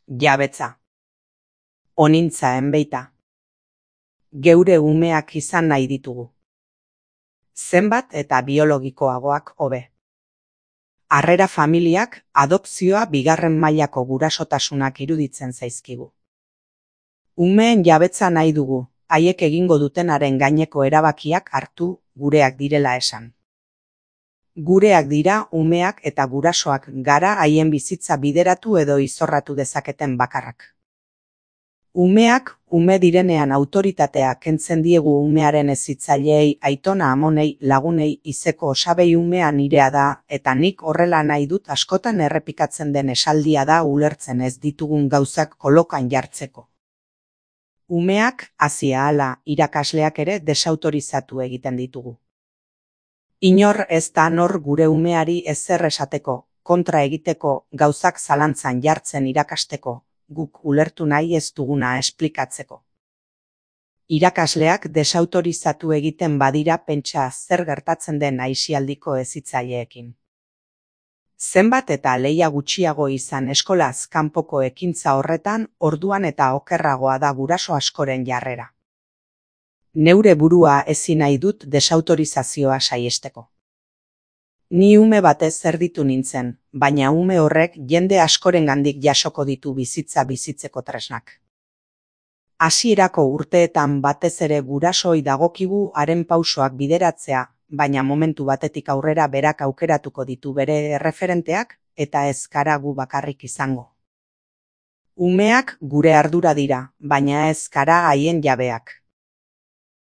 Jabetza. Onintza enbeita. Geure umeak izan nahi ditugu. Zenbat eta biologikoagoak hobe. Harrera familiak adopzioa bigarren mailako gurasotasunak iruditzen zaizkigu. Umeen jabetza nahi dugu, haiek egingo dutenaren gaineko erabakiak hartu gureak direla esan. Gureak dira umeak eta gurasoak gara haien bizitza bideratu edo izorratu dezaketen bakarrak. Umeak ume direnean autoritatea kentzen diegu umearen hezitzaileei, aitona amonei, lagunei, izeko osabei umea nirea da, eta nik horrela nahi dut askotan errepikatzen den esaldia da ulertzen ez ditugun gauzak kolokan jartzeko. Umeak, hazi ahala, irakasleak ere desautorizatu egiten ditugu. Inor ez da nor gure umeari ezer esateko, kontra egiteko, gauzak zalantzan jartzen irakasteko, guk ulertu nahi ez duguna esplikatzeko. Irakasleak desautorizatu egiten badira pentsa zer gertatzen den aisialdiko hezitzaileekin. Zenbat eta lehia gutxiago izan eskolaz kanpoko ekintza horretan, orduan eta okerragoa da guraso askoren jarrera. Neure burua ezin nahi dut desautorizazioa saihesteko. Ni ume batez erditu nintzen, baina ume horrek jende askorengandik jasoko ditu bizitza bizitzeko tresnak. Hasierako urteetan batez ere gurasoi dagokigu haren pausoak bideratzea, baina momentu batetik aurrera berak aukeratuko ditu bere erreferenteak, eta ez gara gu bakarrik izango. Umeak gure ardura dira, baina ez gara haien jabeak.